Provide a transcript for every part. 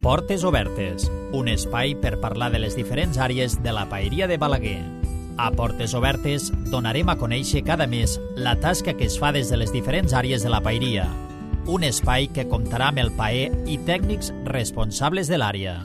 Portes Obertes, un espai per parlar de les diferents àrees de la paeria de Balaguer. A Portes Obertes donarem a conèixer cada mes la tasca que es fa des de les diferents àrees de la paeria. Un espai que comptarà amb el paer i tècnics responsables de l'àrea.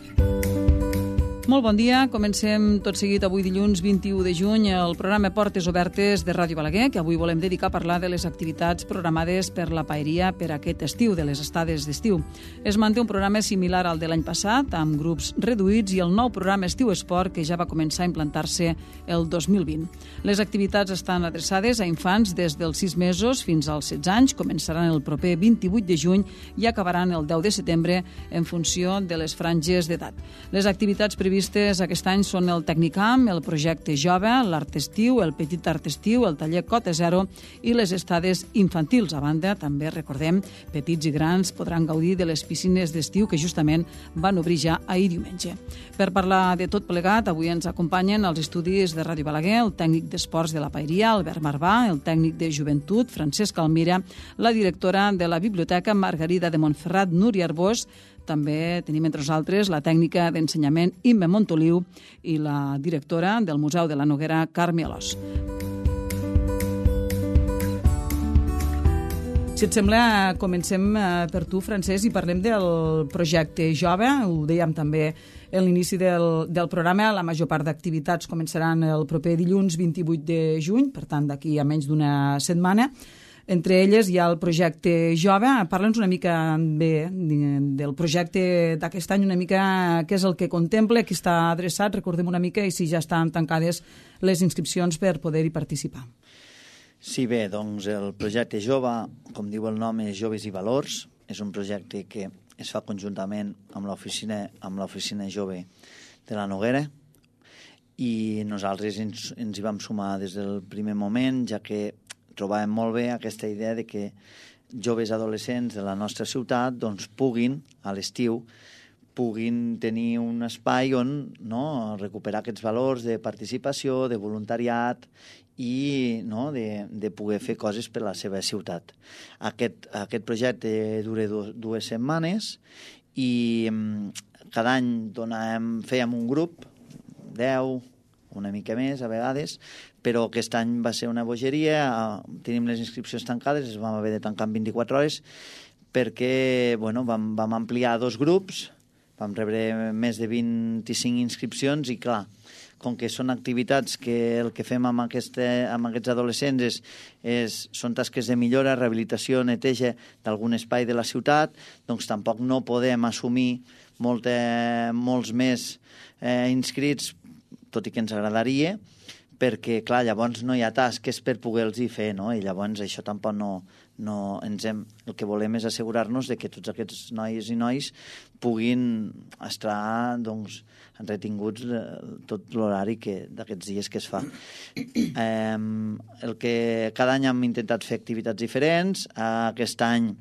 Molt bon dia. Comencem tot seguit avui dilluns 21 de juny el programa Portes Obertes de Ràdio Balaguer, que avui volem dedicar a parlar de les activitats programades per la paeria per aquest estiu, de les estades d'estiu. Es manté un programa similar al de l'any passat, amb grups reduïts, i el nou programa Estiu Esport, que ja va començar a implantar-se el 2020. Les activitats estan adreçades a infants des dels 6 mesos fins als 16 anys, començaran el proper 28 de juny i acabaran el 10 de setembre en funció de les franges d'edat. Les activitats previstes aquest any són el Tecnicamp, el projecte Jove, l'Art Estiu, el Petit Art Estiu, el taller Cota Zero i les estades infantils. A banda, també recordem, petits i grans podran gaudir de les piscines d'estiu que justament van obrir ja ahir diumenge. Per parlar de tot plegat, avui ens acompanyen als estudis de Ràdio Balaguer el tècnic d'esports de la paeria, Albert Marvà, el tècnic de joventut, Francesc Almira, la directora de la biblioteca, Margarida de Montferrat, Núria Arbós. També tenim entre nosaltres la tècnica d'ensenyament Imma Montoliu i la directora del Museu de la Noguera, Carme Alòs. Si et sembla, comencem per tu, Francesc, i parlem del projecte Jove. Ho dèiem també a l'inici del programa. La major part d'activitats començaran el proper dilluns 28 de juny, per tant, d'aquí a menys d'una setmana. Entre elles hi ha el projecte Jove. Parla'ns una mica bé del projecte d'aquest any, una mica què és el que contempla, qui està adreçat, recordem una mica, i si ja estan tancades les inscripcions per poder-hi participar. Sí, bé, doncs el projecte Jove, com diu el nom, és Joves i Valors. És un projecte que es fa conjuntament amb l'oficina jove de la Noguera, i nosaltres ens hi vam sumar des del primer moment, ja que trobàvem molt bé aquesta idea de que joves adolescents de la nostra ciutat doncs, puguin, a l'estiu, puguin tenir un espai on recuperar aquests valors de participació, de voluntariat i de poder fer coses per a la seva ciutat. Aquest projecte dura 2 setmanes i cada any fèiem un grup, 10, una mica més a vegades, però aquest any va ser una bogeria, tenim les inscripcions tancades, es vam haver de tancar en 24 hores, perquè vam ampliar 2 grups, vam rebre més de 25 inscripcions i, clar, com que són activitats que el que fem amb aquests adolescents són tasques de millora, rehabilitació, neteja d'algun espai de la ciutat, doncs tampoc no podem assumir molts més inscrits, tot i que ens agradaria, perquè, clar, llavors no hi ha tasques per poder-los fer, no? I llavors això tampoc el que volem és assegurar-nos de que tots aquests nois i nois puguin estar, doncs, entretinguts tot l'horari d'aquests dies que es fa. Cada any hem intentat fer activitats diferents. Aquest any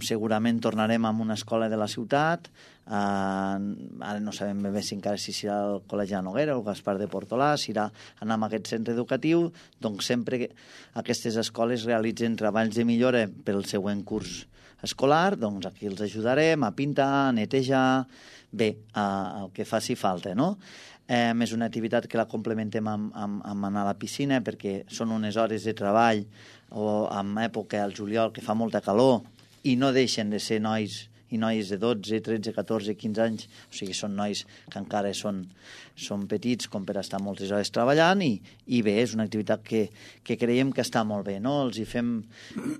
segurament tornarem a una escola de la ciutat. Ara no sabem bé si serà el Col·legi de Noguera o el Gaspar de Portolà, si irà anar a aquest centre educatiu. Doncs sempre aquestes escoles realitzen treballs de millora pel següent curs escolar, doncs aquí els ajudarem a pintar, a netejar, bé, el que faci falta, no? És una activitat que la complementem amb anar a la piscina, perquè són unes hores de treball o en època al juliol que fa molta calor i no deixen de ser nois i noies de 12, 13, 14, 15 anys, o sigui, són nois que encara són petits com per estar moltes hores treballant i bé, és una activitat que creiem que està molt bé, no? Els hi fem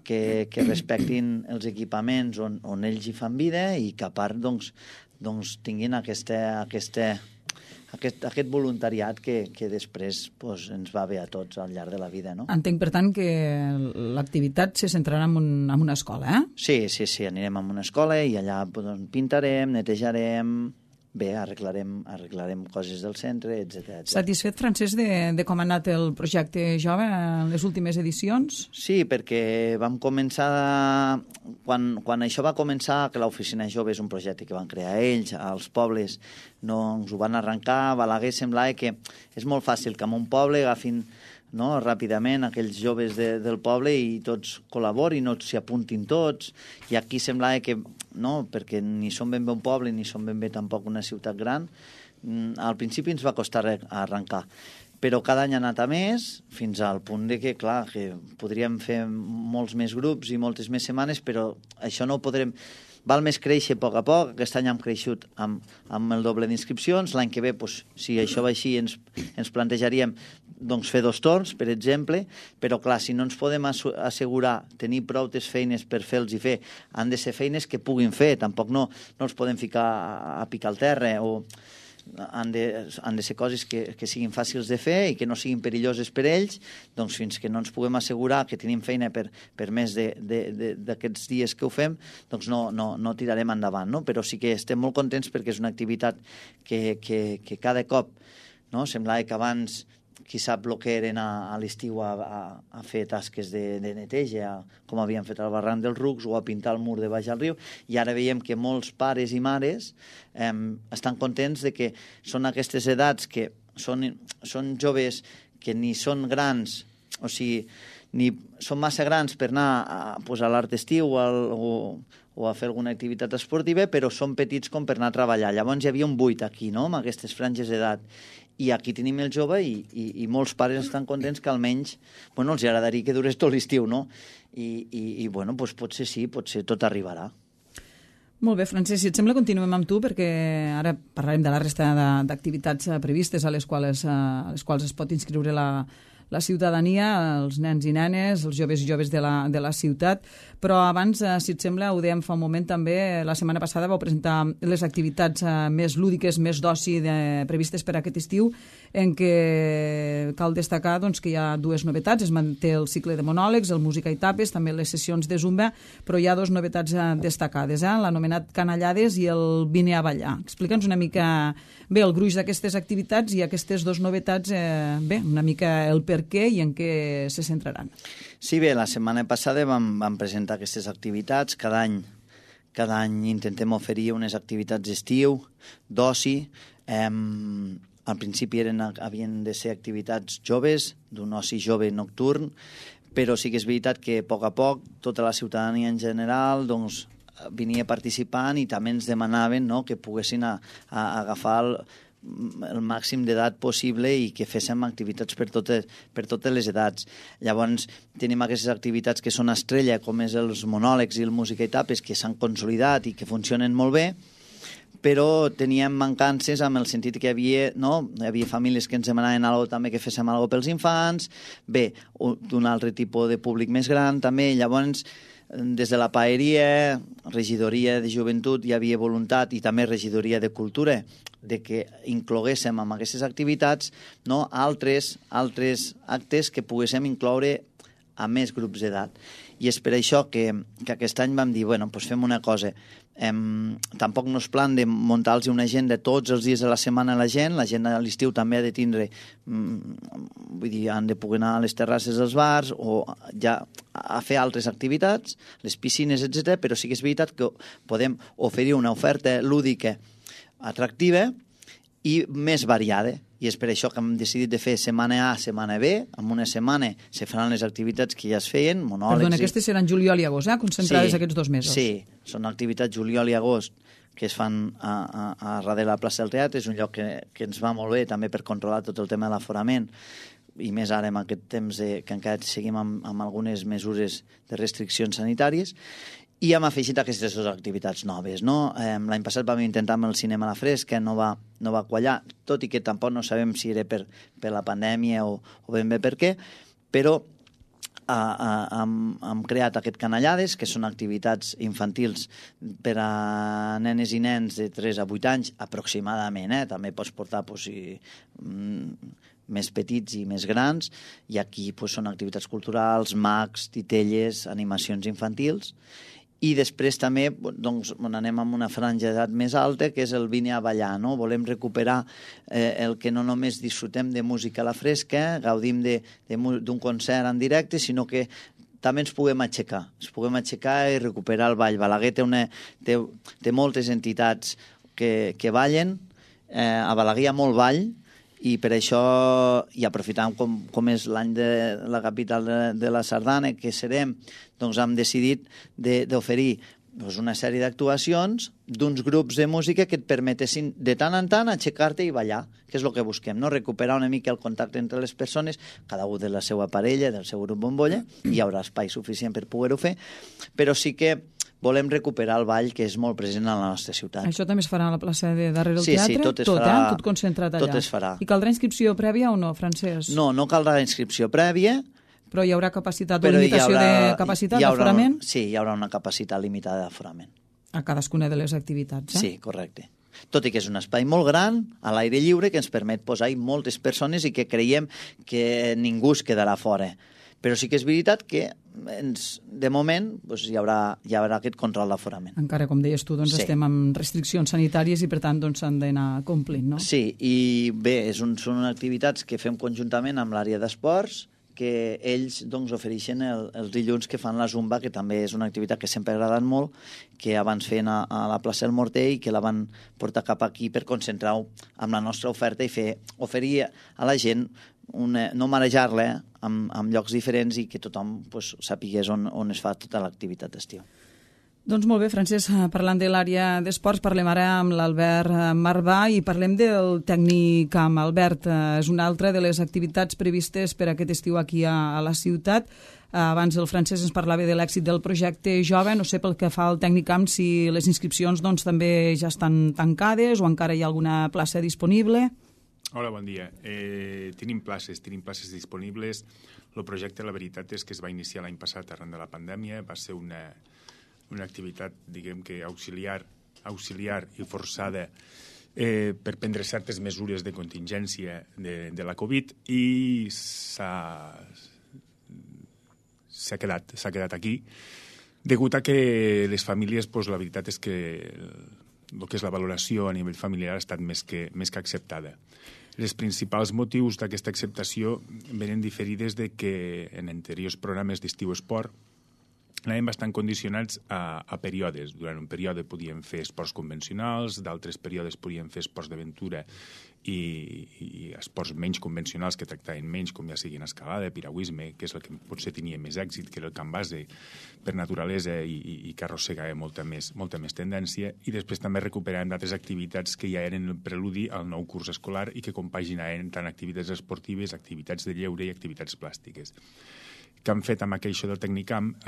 que respectin els equipaments on ells hi fan vida i que a part doncs tinguin aquest voluntariat que després ens va bé a tots al llarg de la vida, no? Entenc, per tant, que l'activitat se centrarà en una escola, eh? Sí, anirem a una escola i allà pintarem, netejarem, bé, arreglarem coses del centre, etc. Satisfet, Francesc, de com ha anat el projecte Jove en les últimes edicions? Sí, perquè vam començar... Quan això va començar, que l'Oficina Jove és un projecte que van crear ells, als pobles no ens ho van arrencar, a Balaguer semblava que és molt fàcil que en un poble agafin no? Ràpidament aquells joves del poble i tots col·laborin, no s'hi apuntin tots, i aquí semblava que, no, perquè ni som ben bé un poble ni som ben bé tampoc una ciutat gran, al principi ens va costar arrencar, però cada any ha anat a més, fins al punt de que, clar, que podríem fer molts més grups i moltes més setmanes, però això no ho podrem... Val més créixer a poc. Aquest any hem creixut amb el doble d'inscripcions. L'any que ve, doncs, si això va així, ens plantejaríem doncs, fer 2 torns, per exemple, però clar, si no ens podem assegurar tenir prou feines per fer-los i fer, han de ser feines que puguin fer, tampoc no els podem ficar a picar al terra, o han de ser coses que siguin fàcils de fer i que no siguin perilloses per ells, doncs fins que no ens puguem assegurar que tenim feina per més d'aquests dies que ho fem, doncs no tirarem endavant, no? Però sí que estem molt contents perquè és una activitat que cada cop, no? Semblava que abans qui sap el que eren a l'estiu a fer tasques de neteja, com havien fet al barranc dels Rucs o a pintar el mur de baix al riu, i ara veiem que molts pares i mares estan contents de que són aquestes edats que són joves que ni són grans, o sigui, ni són massa grans per anar a l'art d'estiu o a fer alguna activitat esportiva, però són petits com per anar a treballar. Llavors hi havia un buit aquí, no?, amb aquestes franges d'edat. I aquí tenim el jove i molts pares estan contents que almenys els agradaria que durés tot l'estiu, no? I potser sí, potser tot arribarà. Molt bé, Francesc, si et sembla continuem amb tu, perquè ara parlarem de la resta d'activitats previstes a les quals es pot inscriure la ciutadania, els nens i nenes, els joves i joves de la ciutat. Però abans, si et sembla, ho dèiem fa un moment també, la setmana passada vau presentar les activitats més lúdiques, més d'oci previstes per aquest estiu, en què cal destacar que hi ha 2 novetats. Es manté el cicle de monòlegs, el música i tapes, també les sessions de zumba, però hi ha 2 novetats destacades, l'anomenat Canallades i el Vine a ballar. Explica'ns una mica bé el gruix d'aquestes activitats i aquestes 2 novetats, una mica el per què i en què se centraran. Sí, bé, la setmana passada vam presentar aquestes activitats. Cada any intentem oferir unes activitats d'estiu, d'oci. Al principi havien de ser activitats joves, d'un oci jove nocturn, però sí que és veritat que a poc tota la ciutadania en general venia participant i també ens demanaven que poguessin agafar el màxim d'edat possible i que féssim activitats per totes les edats. Llavors tenim aquestes activitats que són estrella, com és els monòlegs i el música i tapes, que s'han consolidat i que funcionen molt bé, però teníem mancances en el sentit que hi havia famílies que ens demanaven també que féssim alguna cosa pels infants, bé, d'un altre tipus de públic més gran també. Llavors, des de la paeria, regidoria de joventut, hi havia voluntat, i també regidoria de cultura, de que incloguéssim amb aquestes activitats altres actes que poguéssim incloure a més grups d'edat. I és per això que aquest any vam dir, fem una cosa. Tampoc no és plan de muntar-los una agenda tots els dies de la setmana a la gent a l'estiu també ha de tindre, han de poder anar a les terrasses dels bars o ja a fer altres activitats, les piscines, etc. Però sí que és veritat que podem oferir una oferta lúdica atractiva i més variada. I és per això que hem decidit de fer setmana A, setmana B. En una setmana se faran les activitats que ja es feien, monòlegs... Perdona, aquestes seran juliol i agost, concentrades aquests 2 mesos. Sí, són activitats juliol i agost que es fan a darrere la plaça del Teatre. És un lloc que ens va molt bé també per controlar tot el tema de l'aforament, i més ara en aquest temps que encara seguim amb algunes mesures de restriccions sanitàries. I hem afegit aquestes 2 activitats noves. L'any passat vam intentar amb el cinema a la fresca, no va quallar, tot i que tampoc no sabem si era per la pandèmia o ben bé per què, però hem creat aquest Canallades, que són activitats infantils per a nenes i nens de 3 a 8 anys aproximadament, també pots portar més petits i més grans, i aquí són activitats culturals, mags, titelles, animacions infantils. I després també anem amb una franja d'edat més alta, que és el Vine a ballar. Volem recuperar el que no només disfrutem de música a la fresca, gaudim d'un concert en directe, sinó que també ens puguem aixecar i recuperar el ball. Balaguer té moltes entitats que ballen, a Balaguer hi ha molt ball, i per això, i aprofitant com és l'any de la capital de la Sardana, que serem, doncs hem decidit d'oferir una sèrie d'actuacions d'uns grups de música que et permetessin de tant en tant aixecar-te i ballar, que és el que busquem, no? Recuperar una mica el contacte entre les persones, cada un de la seva parella, del seu grup bombolla, hi haurà espai suficient per poder-ho fer, però sí que volem recuperar el ball que és molt present a la nostra ciutat. Això també es farà a la plaça de darrere del teatre? Sí, tot es farà. Tot concentrat allà? Tot es farà. I caldrà inscripció prèvia o no, Francesc? No caldrà inscripció prèvia. Però hi haurà capacitat o limitació de capacitat d'aforament? Sí, hi haurà una capacitat limitada d'aforament. A cadascuna de les activitats, Sí, correcte. Tot i que és un espai molt gran, a l'aire lliure, que ens permet posar-hi moltes persones i que creiem que ningú es quedarà fora. Però sí que és veritat que de moment hi haurà aquest control d'aforament. Encara, com deies tu, estem amb restriccions sanitàries i per tant s'han d'anar complint, no? Sí, i bé, són activitats que fem conjuntament amb l'àrea d'esports, que ells ofereixen els dilluns que fan la Zumba, que també és una activitat que sempre ha agradat molt, que abans feien a la plaça del Morter i que la van portar cap aquí per concentrar-ho amb la nostra oferta i oferir a la gent, no marejar-la amb llocs diferents i que tothom sàpigués on es fa tota l'activitat d'estiu. Doncs molt bé, Francesc, parlant de l'àrea d'esports, parlem ara amb l'Albert Marbà i parlem del Tecnicamp. Albert, és una altra de les activitats previstes per aquest estiu aquí a la ciutat. Abans el Francesc ens parlava de l'èxit del projecte Jove. No sé pel que fa al Tecnicamp si les inscripcions també ja estan tancades o encara hi ha alguna plaça disponible. Hola, bon dia. Tenim places disponibles. El projecte, la veritat, és que es va iniciar l'any passat arran de la pandèmia. Va ser una activitat, diguem que auxiliar i forçada per prendre certes mesures de contingència de la Covid i s'ha quedat aquí degut a que les famílies, la veritat és que el que és la valoració a nivell familiar ha estat més que acceptada. Els principals motius d'aquesta acceptació venen diferides de que en anteriors programes d'estiu esport anàvem bastant condicionats a períodes. Durant un període podíem fer esports convencionals, d'altres períodes podíem fer esports d'aventura i esports menys convencionals que tractaven menys, com ja siguin escalada, piragüisme, que és el que potser tenia més èxit, que era el camp base per naturalesa i que arrossegava molta més tendència, i després també recuperàvem d'altres activitats que ja eren el preludi al nou curs escolar i que compaginaven tant activitats esportives, activitats de lleure i activitats plàstiques. Que han fet amb això del Tecnicamp,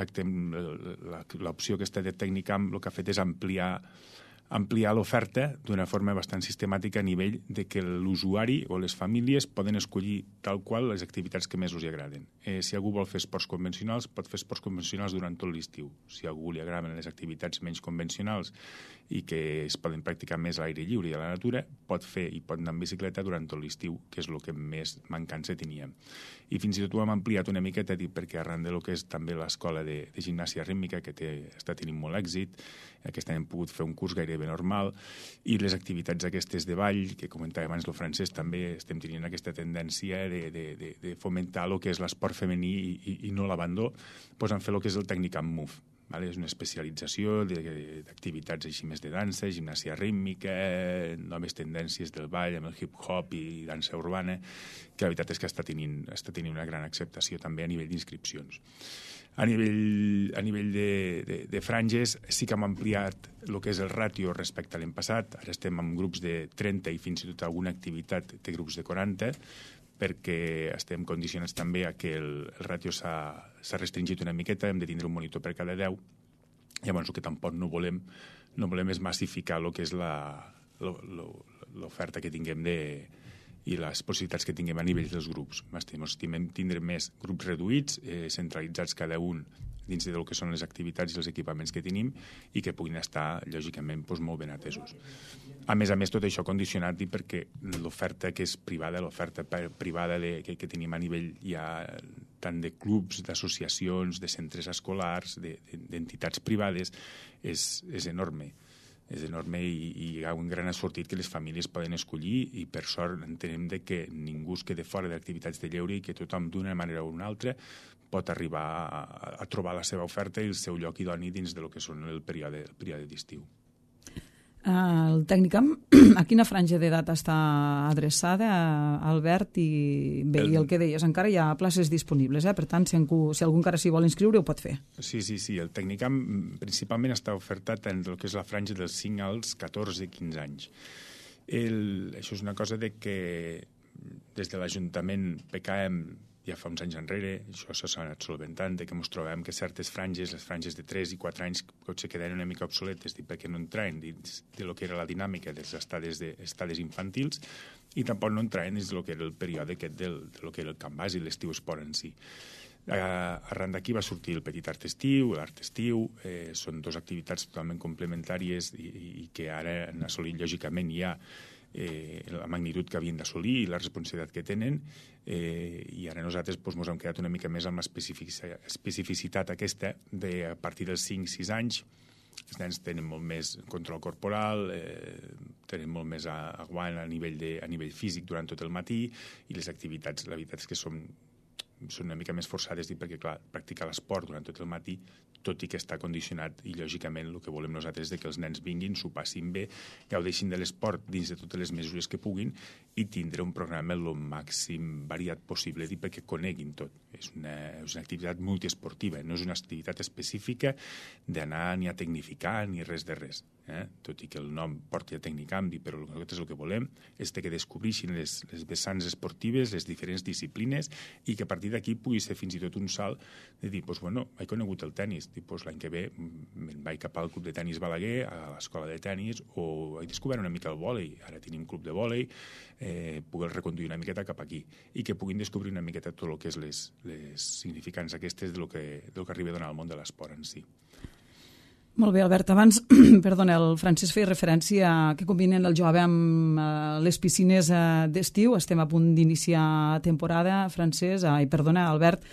l'opció aquesta de Tecnicamp el que ha fet és ampliar l'oferta d'una forma bastant sistemàtica a nivell de que l'usuari o les famílies poden escollir tal qual les activitats que més els agraden. Si algú vol fer esports convencionals, pot fer esports convencionals durant tot l'estiu. Si a algú li agraden les activitats menys convencionals i que es poden practicar més a l'aire lliure i a la natura, pot fer i pot anar en bicicleta durant tot l'estiu, que és el que més mancança teníem. I fins i tot ho hem ampliat una miqueta perquè arran del que és també l'escola de gimnàsia rítmica, que està tenint molt èxit, aquest any hem pogut fer un curs gairebé normal, i les activitats aquestes de ball, que comentava abans el Francesc, també estem tenint aquesta tendència de fomentar el que és l'esport femení i no l'abandó, doncs han fet el que és el Tecnicamp Move. És una especialització d'activitats així més de dansa, gimnàsia rítmica, noves tendències del ball amb el hip-hop i dansa urbana, que la veritat és que està tenint una gran acceptació també a nivell d'inscripcions. A nivell de franges sí que hem ampliat el que és el ràtio respecte a l'any passat. Ara estem en grups de 30 i fins i tot alguna activitat té grups de 40, perquè estem condicionats també a que el ràtio s'ha restringit una miqueta, hem de tindre un monitor per cada 10. Llavors el que tampoc no volem és massificar el que és l'oferta que tinguem i les possibilitats que tinguem a nivell dels grups. Estimem tindre més grups reduïts, centralitzats cada un dins del que són les activitats i els equipaments que tenim i que puguin estar, lògicament, molt ben atesos. A més, tot això condicionat perquè l'oferta que és privada, l'oferta privada que tenim a nivell ja tant de clubs, d'associacions, de centres escolars, d'entitats privades, és enorme. És enorme i hi ha un gran assortit que les famílies poden escollir i per sort entenem que ningú es quede fora d'activitats de lleure i que tothom d'una manera o una altra pot arribar a trobar la seva oferta i el seu lloc idoni dins del que són el període d'estiu. El Tècnicam, a quina franja d'edat està adreçada, Albert? I bé, i el que deies, encara hi ha places disponibles, per tant, si algú encara s'hi vol inscriure, ho pot fer. Sí, el Tècnicam principalment està ofertat en el que és la franja dels 5 als 14-15 anys. Això és una cosa de que des de l'Ajuntament PKM ja fa uns anys enrere, això s'ha anat solventant, que ens trobem que certes franges, les franges de 3 i 4 anys, potser queden una mica obsoletes perquè no entraven dins de lo que era la dinàmica dels estades infantils i tampoc no entraven dins de lo que era el període aquest de lo que era el camp bàsic, l'estiu esport en si. Arran d'aquí va sortir el petit art estiu, l'art estiu, són dues activitats totalment complementàries i que ara han assolit lògicament ja la magnitud que havien d'assolir i la responsabilitat que tenen, i ara nosaltres ens hem quedat una mica més amb l'especificitat aquesta de a partir dels 5-6 anys els nens tenen molt més control corporal, tenen molt més aguant a nivell físic durant tot el matí i les activitats, la veritat és que són una mica més forçades perquè, clar, practicar l'esport durant tot el matí, tot i que està condicionat i, lògicament, el que volem nosaltres és que els nens vinguin, s'ho passin bé, gaudeixin de l'esport dins de totes les mesures que puguin i tindre un programa el màxim variat possible perquè coneguin tot. És una activitat multiesportiva, no és una activitat específica d'anar ni a tecnificar ni res de res. Tot i que el nom porti a Tecnicam, però nosaltres el que volem és que descobreixin les vessants esportives, les diferents disciplines i que a partir d'aquí pugui ser fins i tot un salt de dir, he conegut el tennis, l'any que ve me'n vaig cap al club de tennis Balaguer, a l'escola de tennis, o he descobert una mica el vòlei, ara tenim club de vòlei, poder reconduir una miqueta cap aquí i que puguin descobrir una miqueta tot el que és les significants aquestes del que arriba a donar al món de l'esport en si. Molt bé, Albert. Abans, perdona, el Francesc feia referència a que combinen el jove amb les piscines d'estiu. Estem a punt d'iniciar temporada, Francesc. Albert,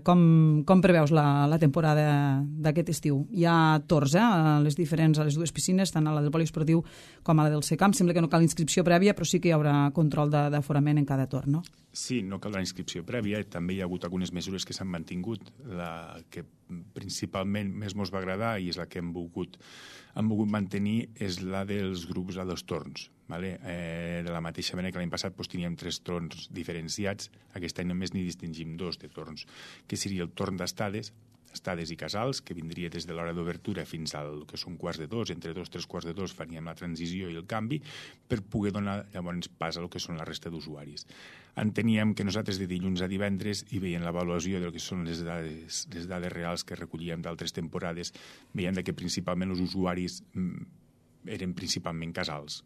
com preveus la temporada d'aquest estiu? Hi ha torns a les dues piscines, tant a la del poliesportiu com a la del Secamp. Sembla que no cal inscripció prèvia, però sí que hi haurà control d'aforament en cada torn, no? Sí, no cal la inscripció prèvia. També hi ha hagut algunes mesures que s'han mantingut. La que principalment més ens va agradar i és la que hem volgut mantenir és la dels grups a dos torns. De la mateixa manera que l'any passat teníem 3 torns diferenciats, aquest any només n'hi distingim 2 de torns, que seria el torn d'estades i casals, que vindria des de l'hora d'obertura fins al que són 1:45, entre 2-3 1:45 faríem la transició i el canvi per poder donar llavors pas a lo que són la resta d'usuaris. Enteníem que nosaltres de dilluns a divendres i veient l'avaluació del que són les dades reals que recollíem d'altres temporades, veiem que principalment els usuaris eren principalment casals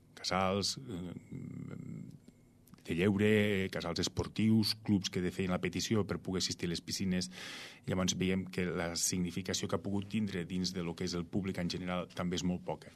de lleure, casals esportius, clubs que feien la petició per poder assistir a les piscines. Llavors veiem que la significació que ha pogut tindre dins de lo que és el públic en general també és molt poca.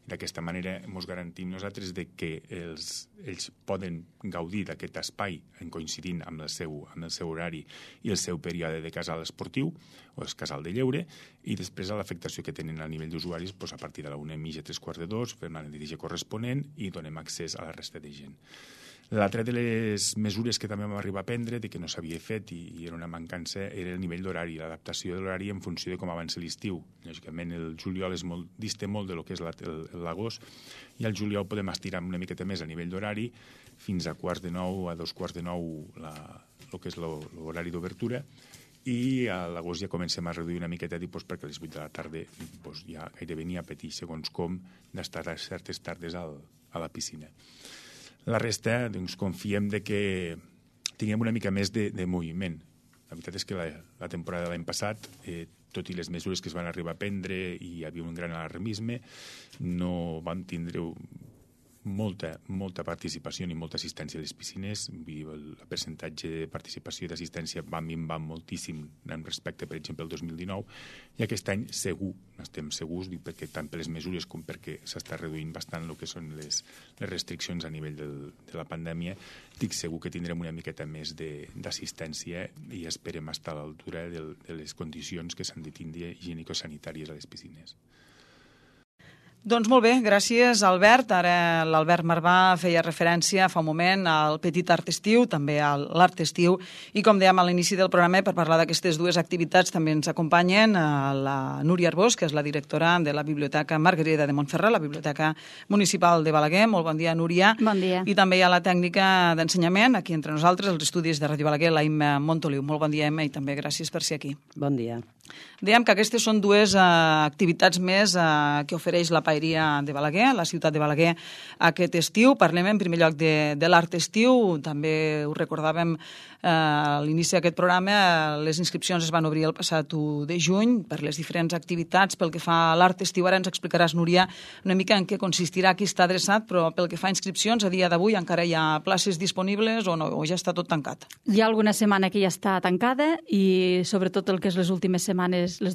D'aquesta manera ens garantim nosaltres que ells poden gaudir d'aquest espai en coincidint amb el seu horari i el seu període de casal esportiu o el casal de lleure, i després l'afectació que tenen a nivell d'usuaris a partir de la 1:30, 3:45, fem la neteja corresponent i donem accés a la resta de gent. L'altra de les mesures que també vam arribar a prendre, que no s'havia fet i era una mancança, era el nivell d'horari, l'adaptació de l'horari en funció de com avança l'estiu. Lògicament, el juliol dista molt de lo que és l'agost, i al juliol podem estirar una miqueta més a nivell d'horari, fins a 8:45, a 8:45, el que és l'horari d'obertura, i a l'agost ja comencem a reduir una miqueta perquè a les 8 de la tarda ja gairebé n'hi ha petit, segons com, d'estar a certes tardes a la piscina. La resta, confiem que tinguem una mica més de moviment. La veritat és que la temporada de l'any passat, tot i les mesures que es van arribar a prendre i hi havia un gran alarmisme, no vam tindre molta participació ni molta assistència a les piscines. El percentatge de participació i d'assistència va minvar moltíssim en respecte, per exemple, al 2019, i aquest any estem segurs, perquè tant per les mesures com perquè s'està reduint bastant el que són les restriccions a nivell de la pandèmia, estic segur que tindrem una miqueta més d'assistència i esperem estar a l'altura de les condicions que s'han de tindre higienico-sanitàries a les piscines. Doncs molt bé, gràcies, Albert. Ara l'Albert Marvà feia referència fa un moment al Petit Art Estiu, també a l'Art Estiu, i com dèiem a l'inici del programa, per parlar d'aquestes dues activitats també ens acompanyen la Núria Arbós, que és la directora de la Biblioteca Margarida de Montferrer, la Biblioteca Municipal de Balaguer. Molt bon dia, Núria. Bon dia. I també hi ha la tècnica d'ensenyament, aquí entre nosaltres, els estudis de Ràdio Balaguer, la Imma Montoliu. Molt bon dia, Imma, i també gràcies per ser aquí. Bon dia. Dèiem que aquestes són dues activitats més que ofereix la Paeria de Balaguer, la ciutat de Balaguer, aquest estiu. Parlem en primer lloc de l'Art Estiu. També ho recordàvem a l'inici d'aquest programa. Les inscripcions es van obrir el passat 1 de juny per les diferents activitats. Pel que fa a l'Art Estiu, ara ens explicaràs, Núria, una mica en què consistirà, qui està adreçat, però pel que fa a inscripcions, a dia d'avui encara hi ha places disponibles o no, o ja està tot tancat? Hi ha alguna setmana que ja està tancada i sobretot el que és les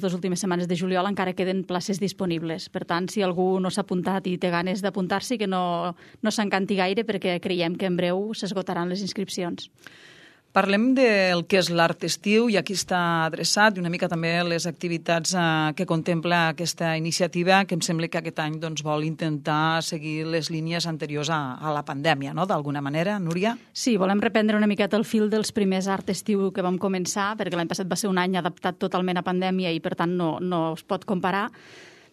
dues últimes setmanes de juliol encara queden places disponibles. Per tant, si algú no s'ha apuntat i té ganes d'apuntar-s'hi, que no s'encanti gaire perquè creiem que en breu s'esgotaran les inscripcions. Parlem del que és l'Art Estiu i a qui està adreçat i una mica també les activitats que contempla aquesta iniciativa, que em sembla que aquest any vol intentar seguir les línies anteriors a la pandèmia, no?, d'alguna manera, Núria? Sí, volem reprendre una miqueta el fil dels primers Art Estiu que vam començar, perquè l'any passat va ser un any adaptat totalment a pandèmia i per tant no es pot comparar,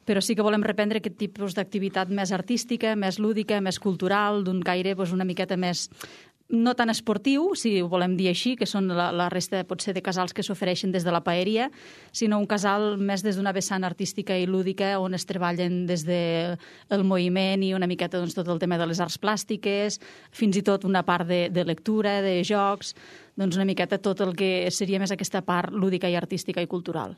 però sí que volem reprendre aquest tipus d'activitat més artística, més lúdica, més cultural, d'un caire una miqueta més no tan esportiu, si ho volem dir així, que són la resta potser de casals que s'ofereixen des de la paeria, sinó un casal més des d'una vessant artística i lúdica on es treballen des del moviment i una miqueta tot el tema de les arts plàstiques, fins i tot una part de lectura, de jocs, una miqueta tot el que seria més aquesta part lúdica i artística i cultural.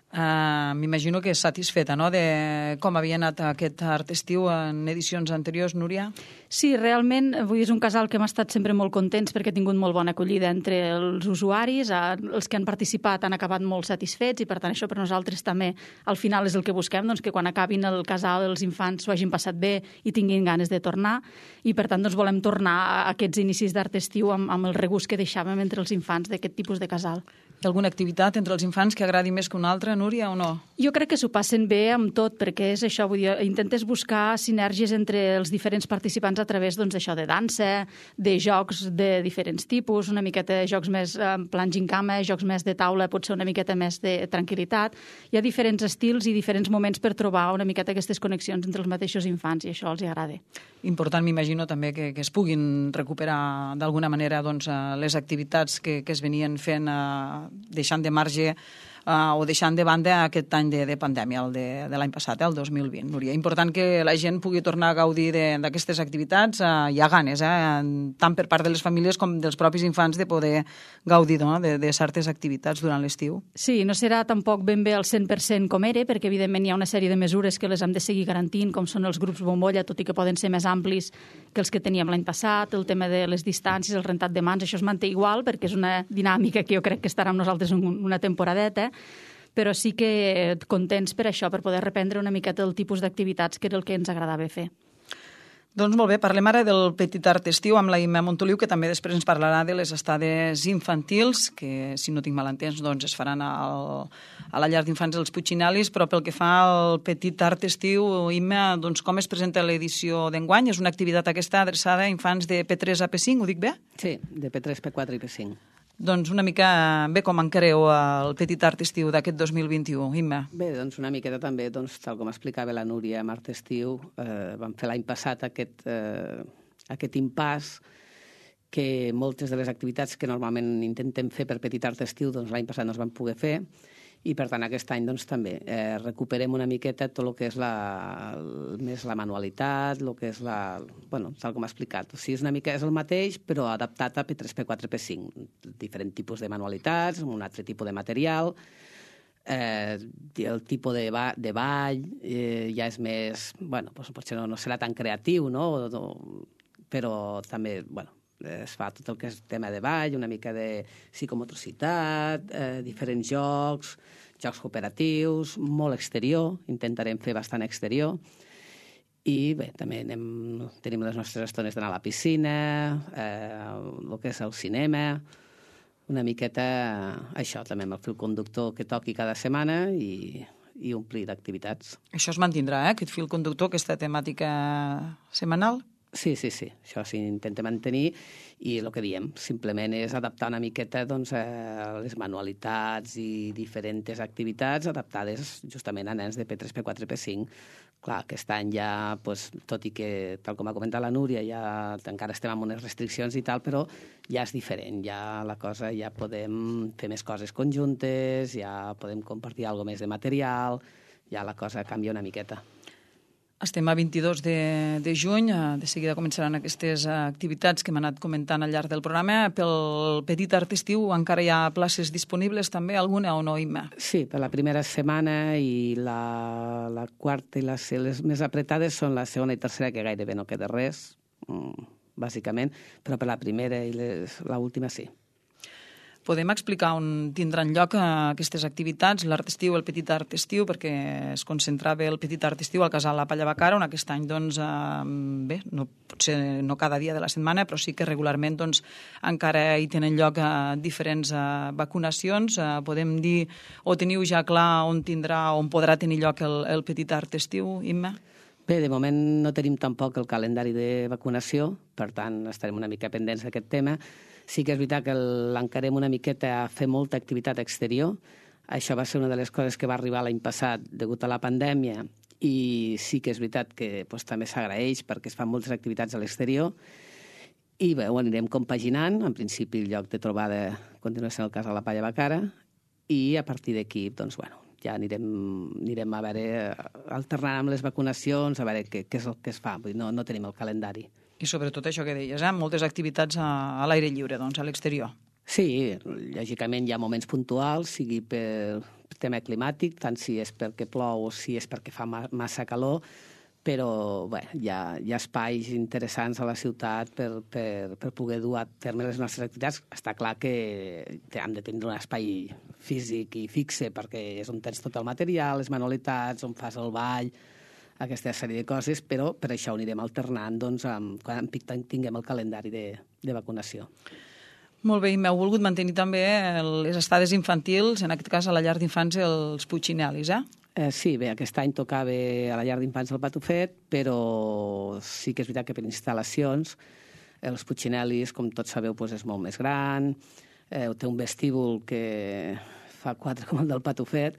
M'imagino que és satisfeta, no?, de com havia anat aquest Art Estiu en edicions anteriors, Núria? Sí, realment, és un casal que hem estat sempre molt contents perquè ha tingut molt bona acollida entre els usuaris, els que han participat han acabat molt satisfets i per tant això per nosaltres també al final és el que busquem, que quan acabin el casal els infants s'ho hagin passat bé i tinguin ganes de tornar i per tant volem tornar a aquests inicis d'Art Estiu amb el regust que deixàvem entre els infants d'aquest tipus de casal. Hi ha alguna activitat entre els infants que agradi més que una altra, Núria, o no? Jo crec que s'ho passen bé amb tot, perquè és això, vull dir, intentes buscar sinergies entre els diferents participants a través d'això, de dansa, de jocs de diferents tipus, una miqueta de jocs més en plan gincama, jocs més de taula, potser una miqueta més de tranquil·litat. Hi ha diferents estils i diferents moments per trobar una miqueta aquestes connexions entre els mateixos infants i això els agrada. Important, m'imagino, també que es puguin recuperar d'alguna manera les activitats que es venien fent deixant de marge o deixant de banda aquest any de pandèmia, el de l'any passat, el 2020. Núria, important que la gent pugui tornar a gaudir d'aquestes activitats. Hi ha ganes, tant per part de les famílies com dels propis infants, de poder gaudir de certes activitats durant l'estiu. Sí, no serà tampoc ben bé al 100% com era, perquè evidentment hi ha una sèrie de mesures que les hem de seguir garantint, com són els grups bombolla, tot i que poden ser més amplis que els que teníem l'any passat, el tema de les distàncies, el rentat de mans, això es manté igual, perquè és una dinàmica que jo crec que estarà amb nosaltres una temporadeta, però sí que contents per això, per poder reprendre una miqueta el tipus d'activitats que era el que ens agradava fer. Doncs molt bé, parlem ara del Petit Art Estiu amb la Imma Montoliu, que també després ens parlarà de les estades infantils, que, si no tinc mal entès, es faran a la llar d'infants dels Puiginalis, però pel que fa al Petit Art Estiu, Imma, com es presenta l'edició d'enguany? És una activitat aquesta adreçada a infants de P3 a P5, ho dic bé? Sí, de P3, P4 i P5. Doncs una mica bé com encareu el Petit Art Estiu d'aquest 2021, Imma. Bé, una miqueta també, tal com explicava la Núria, amb Art Estiu, vam fer l'any passat aquest impàs que moltes de les activitats que normalment intentem fer per Petit Art Estiu, l'any passat no es van poder fer, i per tant aquest any també recuperem una miqueta tot el que és més la manualitat, el que és tal com ha explicat. O sigui, és una mica el mateix, però adaptat a P3, P4, P5. Diferent tipus de manualitats, un altre tipus de material, el tipus de ball ja és més... potser no serà tan creatiu, no? Però també, es fa tot el que és tema de ball, una mica de psicomotricitat, diferents jocs cooperatius, molt exterior, intentarem fer bastant exterior, i bé, també tenim les nostres estones d'anar a la piscina, el que és el cinema, una miqueta això també amb el fil conductor que toqui cada setmana i i omplir d'activitats. Això es mantindrà, aquest fil conductor, aquesta temàtica setmanal? Sí, això s'intenta mantenir i el que diem, simplement és adaptar una miqueta doncs, les manualitats i diferents activitats adaptades justament a nens de P3, P4, P5. Clar, aquest any ja, doncs, tot i que, tal com ha comentat la Núria, ja encara estem amb unes restriccions i tal, però ja és diferent, ja la cosa, ja podem fer més coses conjuntes, ja podem compartir alguna més de material, ja la cosa canvia una miqueta. Estem a 22 de juny, de seguida començaran aquestes activitats que hem anat comentant al llarg del programa. Pel petit art estiu encara hi ha places disponibles també, alguna o no, Imma? Sí, per la primera setmana i la quarta i les més apretades són la segona i tercera, que gairebé no queda res, bàsicament, però per la primera i l'última sí. Podem explicar on tindran lloc aquestes activitats, l'art estiu, el petit art estiu, perquè es concentrava el petit art estiu al casal La Palla Bacara, on aquest any, doncs, bé, potser no cada dia de la setmana, però sí que regularment doncs, encara hi tenen lloc diferents vacunacions. Podem dir, o teniu ja clar on podrà tenir lloc el petit art estiu, Imma? Bé, de moment no tenim tampoc el calendari de vacunació, per tant estarem una mica pendents d'aquest tema. Sí que és veritat que l'encarem una miqueta a fer molta activitat exterior. Això va ser una de les coses que va arribar l'any passat degut a la pandèmia i sí que és veritat que doncs, també s'agraeix perquè es fan moltes activitats a l'exterior i bé, ho anirem compaginant. En principi el lloc de trobada continua sent el cas a La Palla Bacara i a partir d'aquí doncs, bueno, ja anirem a veure, alternant amb les vacunacions, a veure què és el que es fa. Vull dir, no tenim el calendari. I sobretot això que deies, moltes activitats a l'aire lliure, doncs, a l'exterior. Sí, lògicament hi ha moments puntuals, sigui per tema climàtic, tant si és perquè plou o si és perquè fa massa calor, però bé, hi ha espais interessants a la ciutat per poder dur a terme les nostres activitats. Està clar que hem de tenir un espai físic i fixe perquè és on tens tot el material, les manualitats, on fas el ball, aquesta sèrie de coses, però per això ho anirem alternant doncs, quan tinguem el calendari de vacunació. Molt bé, i m'heu volgut mantenir també les estades infantils, en aquest cas a la llar d'infants els Puccinelis, Sí, bé, aquest any tocava a la llar d'infants el Patufet, però sí que és veritat que per instal·lacions els Puccinelis, com tots sabeu, doncs és molt més gran, té un vestíbul que fa 4 com el del Patufet,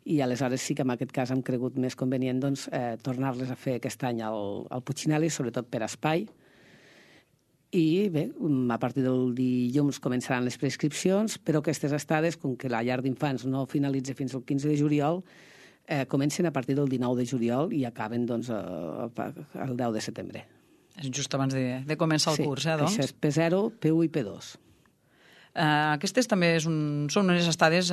i aleshores sí que en aquest cas hem cregut més convenient doncs, tornar-les a fer aquest any al Puccinelli, sobretot per espai. I bé, a partir del dilluns començaran les prescripcions, però aquestes estades, com que la llar d'infants no finalitza fins al 15 de juliol, comencen a partir del 19 de juliol i acaben doncs, el 10 de setembre. És just abans de començar el curs, doncs? Sí, això és P0, P1 i P2. Aquestes també són unes estades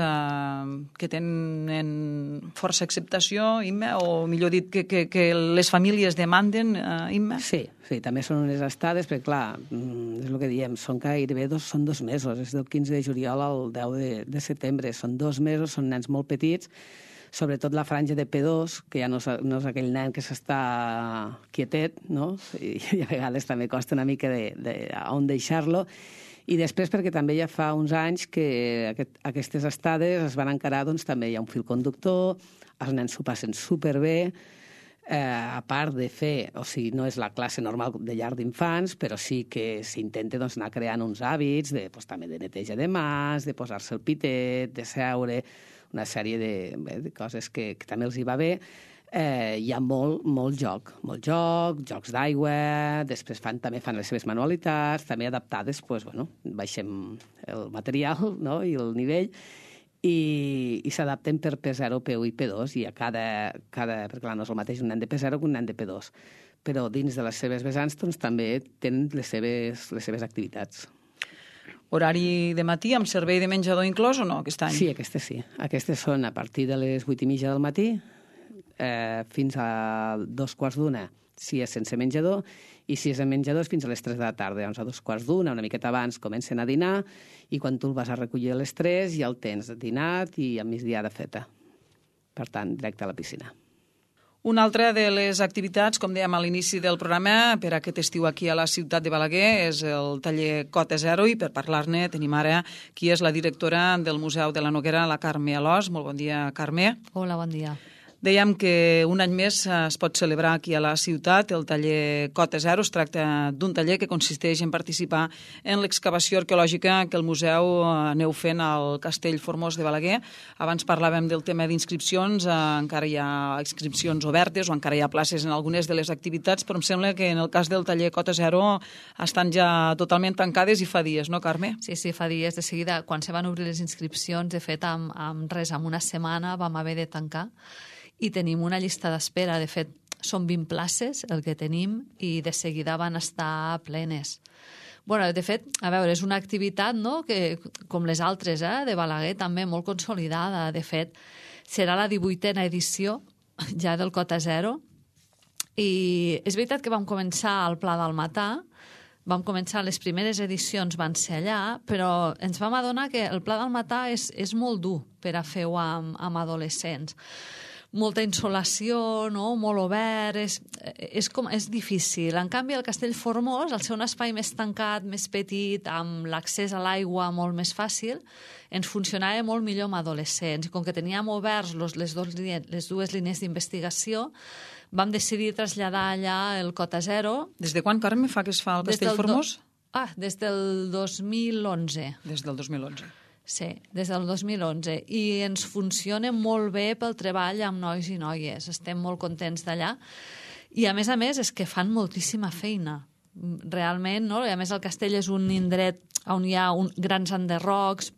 que tenen força acceptació, Imma, o millor dit, que les famílies demanden, Imma? Sí, també són unes estades, perquè clar, és el que diem, són gairebé són 2 mesos, és del 15 de juliol al 10 de setembre, són 2 mesos, són nens molt petits, sobretot la franja de P2, que ja no és aquell nen que s'està quietet, no? I a vegades també costa una mica on deixar-lo. I després perquè també ja fa uns anys que aquestes estades es van encarar, doncs també hi ha un fil conductor, els nens s'ho passen superbé, a part de fer, o sigui, no és la classe normal de llar d'infants, però sí que s'intenta doncs, anar creant uns hàbits també de neteja de mans, de posar-se el pitet, de seure, una sèrie de coses que també els hi va bé. Hi ha molt joc, jocs d'aigua, després també fan les seves manualitats, també adaptades, baixem el material, no?, i el nivell, i s'adapten per P0, P1 i P2, i a cada perquè clar, no és el mateix un nen de P0 que un nen de P2, però dins de les seves vessants doncs, també tenen les seves activitats. Horari de matí amb servei de menjador inclòs o no, aquest any? Sí, aquestes sí. Aquestes són a partir de les 8:30 del matí, fins a 2:15 si és sense menjador, i si és en menjador és fins a les 3 de la tarda. Llavors a 2:15, una miqueta abans, comencen a dinar, i quan tu el vas a recollir a les 3 ja el tens dinat i a migdiada feta. Per tant, directe a la piscina. Una altra de les activitats, com dèiem a l'inici del programa, per aquest estiu aquí a la ciutat de Balaguer, és el taller Cota Zero, i per parlar-ne tenim ara qui és la directora del Museu de la Noguera, la Carme Alòs. Molt bon dia, Carme. Hola, bon dia. Dèiem que un any més es pot celebrar aquí a la ciutat el taller Cota Zero. Es tracta d'un taller que consisteix en participar en l'excavació arqueològica que el museu aneu fent al Castell Formós de Balaguer. Abans parlàvem del tema d'inscripcions, encara hi ha inscripcions obertes o encara hi ha places en algunes de les activitats, però em sembla que en el cas del taller Cota Zero estan ja totalment tancades i fa dies, no, Carme? Sí, fa dies. De seguida, quan se van obrir les inscripcions, de fet, amb una setmana vam haver de tancar i tenim una llista d'espera. De fet, són 20 places el que tenim i de seguida van estar plenes. Bueno, de fet, a veure, és una activitat, no?, que, com les altres, de Balaguer, també molt consolidada. De fet, serà la 18a edició ja del Cota Zero i és veritat que vam començar al Pla del Matà, vam començar, les primeres edicions van ser allà, però ens vam adonar que el Pla del Matà és molt dur per a fer-ho amb adolescents. Molta insolació, no?, molt obert, és difícil. En canvi, el Castell Formós, al ser un espai més tancat, més petit, amb l'accés a l'aigua molt més fàcil, ens funcionava molt millor amb adolescents. I com que teníem oberts les dues línies d'investigació, vam decidir traslladar allà el Cota Zero. Des de quan, Carme, fa que es fa el Castell Formós? Des del 2011. Des del 2011. Sí, des del 2011. I ens funciona molt bé pel treball amb nois i noies. Estem molt contents d'allà. I a més, és que fan moltíssima feina. Realment, no? I a més el castell és un indret on hi ha grans enderrocs,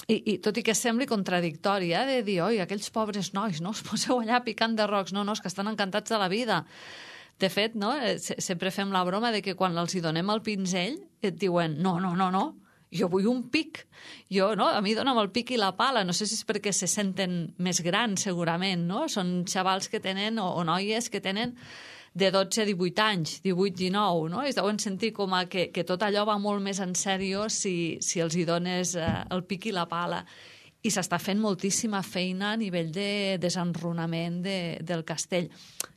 i tot i que sembli contradictori, de dir, oi, aquells pobres nois, no, us poseu allà picant de rocs. No, és que estan encantats de la vida. De fet, no, sempre fem la broma de que quan els hi donem el pinzell et diuen, no, jo vull un pic. A mi dona'm el pic i la pala. No sé si és perquè se senten més grans, segurament, no? Són xavals que tenen, o noies que tenen de 12 a 18 anys, 18-19, no? Es deuen sentir com que tot allò va molt més en sèrio si els hi dones el pic i la pala. I s'està fent moltíssima feina a nivell de desenrunament del castell,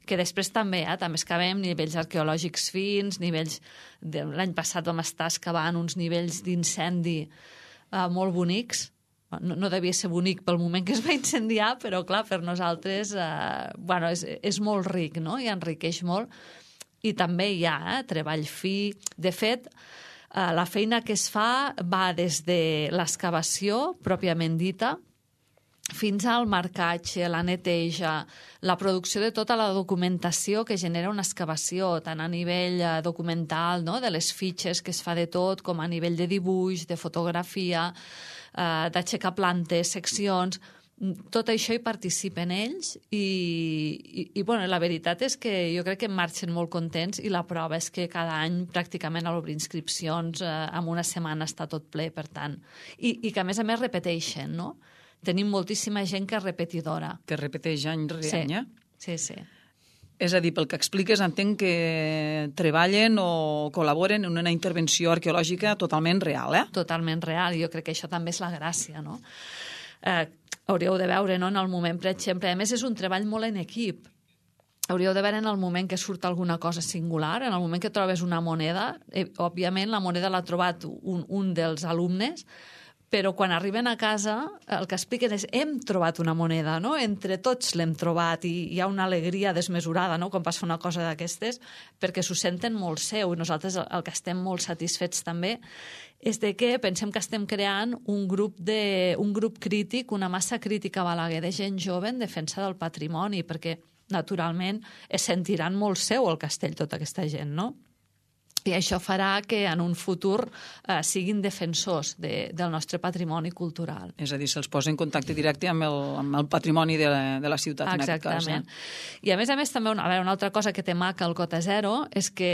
que després també excavem nivells arqueològics fins, nivells... L'any passat vam estar excavant uns nivells d'incendi molt bonics. No devia ser bonic pel moment que es va incendiar, però clar, per nosaltres és molt ric, no?, i enriqueix molt. I també hi ha treball fi. De fet, la feina que es fa va des de l'excavació, pròpiament dita, fins al marcatge, la neteja, la producció de tota la documentació que genera una excavació, tant a nivell documental, no?, de les fitxes que es fa de tot, com a nivell de dibuix, de fotografia, d'aixecar plantes, seccions. Tot això hi participen ells i la veritat és que jo crec que marxen molt contents i la prova és que cada any pràcticament a l'obrir inscripcions en una setmana està tot ple, per tant. I que a més repeteixen, no? Tenim moltíssima gent que és repetidora. Que repeteix any rere any, Sí. És a dir, pel que expliques, entenc que treballen o col·laboren en una intervenció arqueològica totalment real, Totalment real. Jo crec que això també és la gràcia, no? Hauríeu de veure, no?, en el moment, per exemple, a més és un treball molt en equip. Hauríeu de veure en el moment que surt alguna cosa singular, en el moment que trobes una moneda, òbviament la moneda l'ha trobat un dels alumnes, però quan arriben a casa el que expliquen és hem trobat una moneda, no? Entre tots l'hem trobat i hi ha una alegria desmesurada, no?, quan passa una cosa d'aquestes, perquè s'ho senten molt seu i nosaltres el que estem molt satisfets també és de que pensem que estem creant un grup crític, una massa crítica a Balaguer de gent jove en defensa del patrimoni, perquè naturalment es sentiran molt seu el castell tota aquesta gent, no? I això farà que en un futur siguin defensors del nostre patrimoni cultural. És a dir, se'ls posa en contacte directe amb el patrimoni de la ciutat. Exactament. I a més també una altra cosa que té maca el Cota Zero és que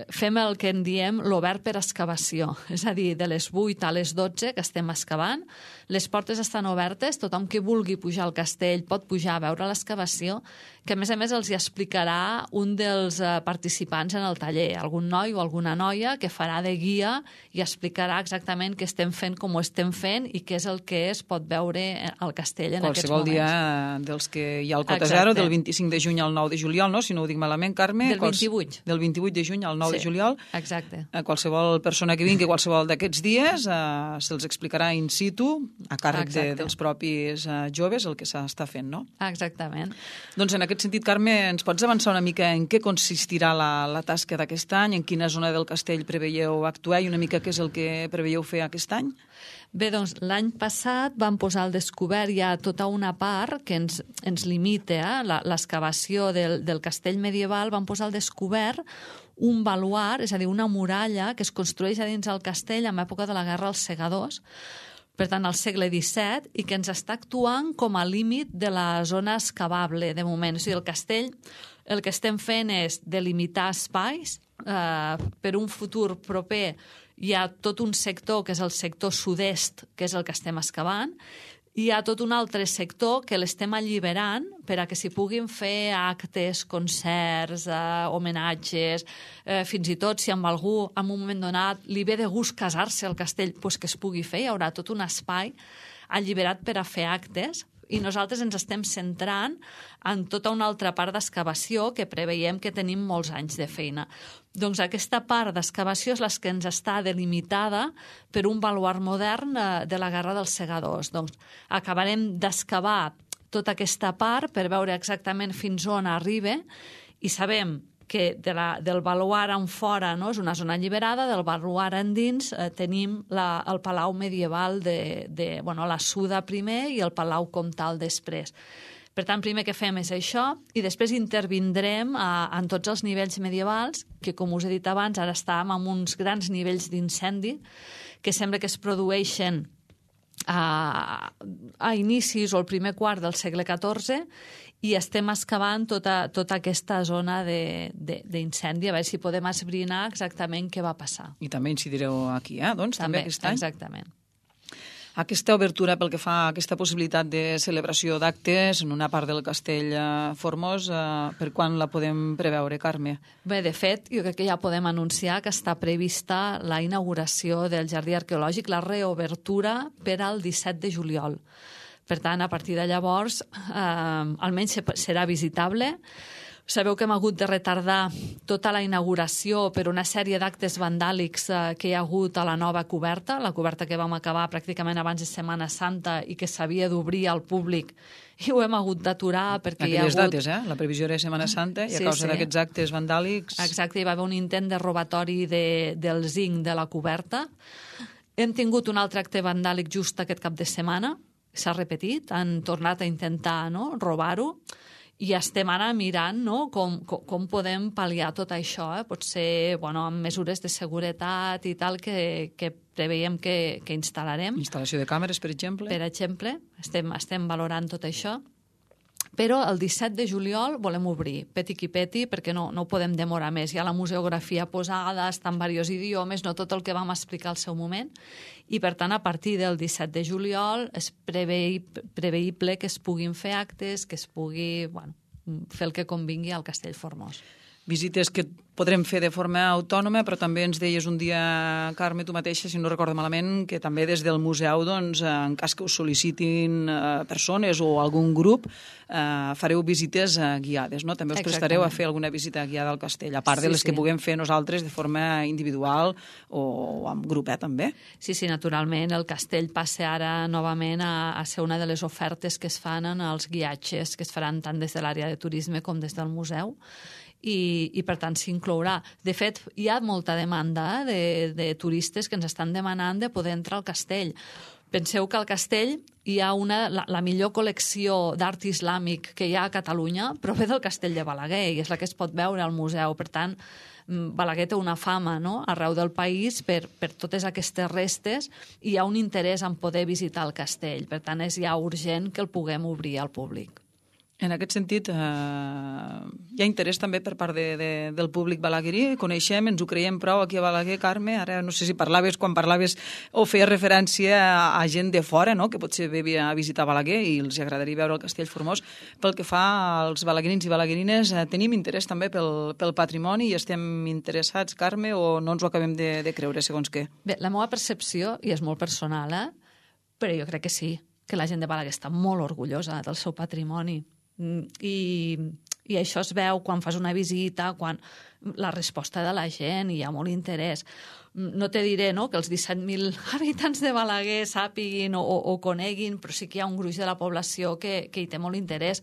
fem el que en diem l'obert per excavació. És a dir, de les 8 a les 12 que estem excavant, les portes estan obertes, tothom que vulgui pujar al castell pot pujar a veure l'excavació, que a més els hi explicarà un dels participants en el taller. taller, algun noi o alguna noia que farà de guia i explicarà exactament què estem fent, com ho estem fent i què és el que es pot veure al castell en aquests moments. Qualsevol dia dels que hi ha el Cota Zero, del 25 de juny al 9 de juliol, no? Si no ho dic malament, Carme. Del 28. Del 28 de juny al 9 de juliol. Exacte. Qualsevol persona que vingui qualsevol d'aquests dies se'ls explicarà in situ, a càrrec dels propis joves, el que s'està fent, no? Exactament. Doncs en aquest sentit, Carme, ens pots avançar una mica en què consistirà la tasca d'aquest any, en quina zona del castell preveieu actuar i una mica què és el que preveieu fer aquest any? Bé, doncs l'any passat vam posar al descobert ja tota una part que ens limita, l'excavació del castell medieval, vam posar al descobert un baluard, és a dir, una muralla que es construeix a dins del castell en època de la Guerra dels Segadors, per tant, al segle XVII, i que ens està actuant com a límit de la zona excavable, de moment. O sigui, el castell, el que estem fent és delimitar espais. Per un futur proper hi ha tot un sector, que és el sector sud-est, que és el que estem excavant, hi ha tot un altre sector que l'estem alliberant per a que s'hi puguin fer actes, concerts, homenatges, fins i tot si amb algú en un moment donat li ve de gust casar-se al castell, doncs que es pugui fer, hi haurà tot un espai alliberat per a fer actes, i nosaltres ens estem centrant en tota una altra part d'excavació que preveiem que tenim molts anys de feina. Doncs aquesta part d'excavació és la que ens està delimitada per un baluard modern de la Guerra dels Segadors. Doncs acabarem d'excavar tota aquesta part per veure exactament fins on arriba i sabem que del baluard en fora, no, és una zona alliberada, del baluard endins tenim el palau medieval la Suda primer i el palau comtal després. Per tant, primer que fem és això i després intervindrem en tots els nivells medievals, que com us he dit abans, ara estàvem en uns grans nivells d'incendi que sembla que es produeixen a inicis o el primer quart del segle XIV i estem excavant tota aquesta zona d'incendi, a veure si podem esbrinar exactament què va passar. I també incidireu aquí, doncs, també aquest any? Exactament. Aquesta obertura pel que fa a aquesta possibilitat de celebració d'actes en una part del castell Formós, per quan la podem preveure, Carme? Bé, de fet, jo crec que ja podem anunciar que està prevista la inauguració del Jardí Arqueològic, la reobertura per al 17 de juliol. Per tant, a partir de llavors, almenys serà visitable. Sabeu que hem hagut de retardar tota la inauguració per una sèrie d'actes vandàlics que hi ha hagut a la nova coberta, la coberta que vam acabar pràcticament abans de Setmana Santa i que s'havia d'obrir al públic, i ho hem hagut d'aturar perquè hi ha hagut... Aquelles dates, la previsió era Setmana Santa i a causa d'aquests actes vandàlics... Exacte, hi va haver un intent de robatori del zinc de la coberta. Hem tingut un altre acte vandàlic just aquest cap de setmana, s'ha repetit, han tornat a intentar robar-ho, i estem ara mirant com podem pal·liar tot això. Potser amb mesures de seguretat i tal que preveiem que instal·larem. Instal·lació de càmeres, per exemple? Per exemple, estem valorant tot això. Però el 17 de juliol volem obrir, peti qui peti, perquè no ho podem demorar més. Hi ha la museografia posada, està en diversos idiomes, no tot el que vam explicar al seu moment, i per tant, a partir del 17 de juliol és preveible que es puguin fer actes, que es pugui fer el que convingui al Castell Formós. Visites que podrem fer de forma autònoma, però també ens deies un dia, Carme, tu mateixa, si no recordo malament, que també des del museu, doncs, en cas que us sol·licitin persones o algun grup, fareu visites guiades, no? També us prestareu a fer alguna visita guiada al castell, a part de les que puguem fer nosaltres de forma individual o en grup, també? Sí, naturalment. El castell passa ara novament a ser una de les ofertes que es fan en els guiatges que es faran tant des de l'àrea de turisme com des del museu. I per tant s'inclourà. De fet, hi ha molta demanda de turistes que ens estan demanant de poder entrar al castell. Penseu que al castell hi ha la millor col·lecció d'art islàmic que hi ha a Catalunya, però ve del castell de Balaguer i és la que es pot veure al museu. Per tant, Balaguer té una fama arreu del país per totes aquestes restes i hi ha un interès en poder visitar el castell. Per tant, és ja urgent que el puguem obrir al públic. En aquest sentit, hi ha interès també per part del públic balaguerí. Coneixem, ens ho creiem prou aquí a Balaguer, Carme. Ara no sé si quan parlaves o feies referència a gent de fora, no?, que potser ve a visitar Balaguer i els agradaria veure el Castell Formós. Pel que fa als balaguerins i balaguerines, tenim interès també pel patrimoni i estem interessats, Carme, o no ens ho acabem de creure, segons què? Bé, la meva percepció, i és molt personal, però jo crec que sí, que la gent de Balaguer està molt orgullosa del seu patrimoni. I això es veu quan fas una visita, quan la resposta de la gent, hi ha molt interès. No te diré, no?, que els 17.000 habitants de Balaguer sàpiguin o coneguin, però sí que hi ha un gruix de la població que hi té molt interès.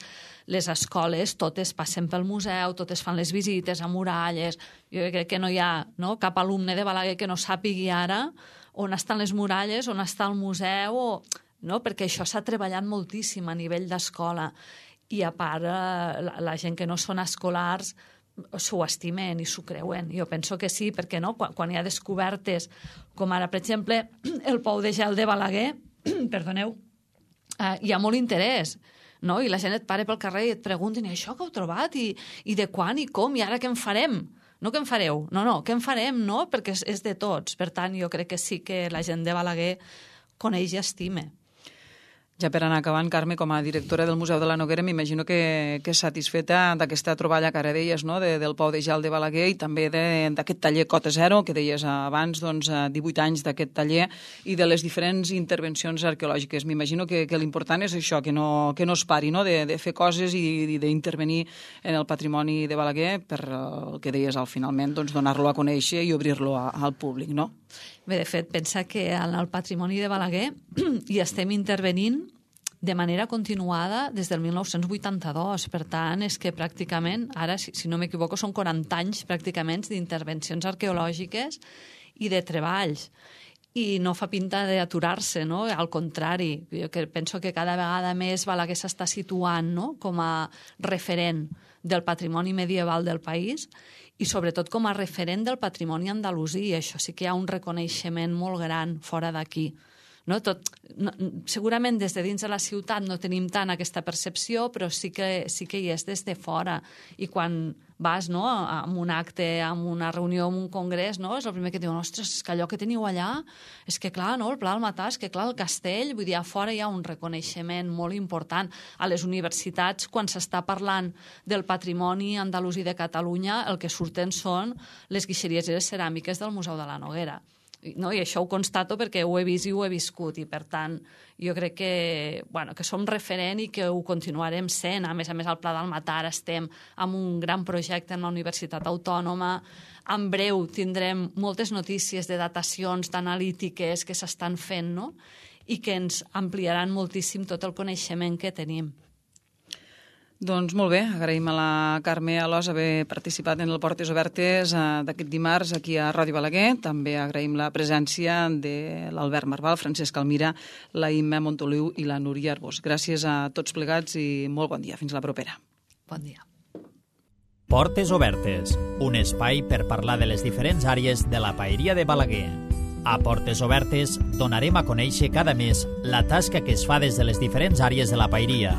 Les escoles totes passen pel museu, totes fan les visites a muralles. Jo crec que no hi ha, no?, cap alumne de Balaguer que no sàpigui ara on estan les muralles, on està el museu, no?, perquè això s'ha treballat moltíssim a nivell d'escola. I a part, la gent que no són escolars s'ho estimen i s'ho creuen. Jo penso que sí, perquè no? Quan hi ha descobertes, com ara, per exemple, el pou de gel de Balaguer, perdoneu, hi ha molt interès, no? I la gent et para pel carrer i et pregunten, i això que heu trobat? I de quan i com? I ara què en farem? No què en fareu? No, què en farem? No? Perquè és de tots. Per tant, jo crec que sí que la gent de Balaguer coneix i estime. Ja per anar acabant, Carme, com a directora del Museu de la Noguera, m'imagino que és satisfeta d'aquesta troballa que ara deies, no?, del pou de gel de Balaguer i també d'aquest taller Cota Zero, que deies abans, 18 anys d'aquest taller, i de les diferents intervencions arqueològiques. M'imagino que l'important és això, que no es pari, no?, de fer coses i d'intervenir en el patrimoni de Balaguer per el que deies al finalment, donar-lo a conèixer i obrir-lo al públic, no? Bé, de fet, pensa que en el patrimoni de Balaguer hi estem intervenint de manera continuada des del 1982. Per tant, és que pràcticament, ara, si no m'equivoco, són 40 anys pràcticament d'intervencions arqueològiques i de treballs. I no fa pinta d'aturar-se, no? Al contrari, jo penso que cada vegada més Balaguer s'està situant, no?, com a referent del patrimoni medieval del país i sobretot com a referent del patrimoni andalusí. Això sí que hi ha un reconeixement molt gran fora d'aquí. No? Segurament des de dins de la ciutat no tenim tant aquesta percepció, però sí que hi és des de fora. I quan vas, no?, a un acte, a una reunió, a un congrés, no?, és el primer que diuen, ostres, és que allò que teniu allà, és que clar, no?, el Pla del Matà, és que clar, el castell, vull dir, a fora hi ha un reconeixement molt important. A les universitats, quan s'està parlant del patrimoni andalusí de Catalunya, el que surten són les guixeries i les ceràmiques del Museu de la Noguera. No? I això ho constato perquè ho he vist i ho he viscut, i per tant jo crec que som referent i que ho continuarem sent. A més, al Pla del Matà estem amb un gran projecte en la Universitat Autònoma. En breu tindrem moltes notícies de datacions, d'analítiques que s'estan fent, no?, i que ens ampliaran moltíssim tot el coneixement que tenim. Doncs molt bé, agraïm a la Carme Alòs haver participat en el Portes Obertes d'aquest dimarts aquí a Ràdio Balaguer. També agraïm la presència de l'Albert Marval, Francesc Almira, la Imma Montoliu i la Núria Arbós. Gràcies a tots plegats i molt bon dia. Fins la propera. Bon dia. Portes Obertes, un espai per parlar de les diferents àrees de la paeria de Balaguer. A Portes Obertes donarem a conèixer cada mes la tasca que es fa des de les diferents àrees de la paeria.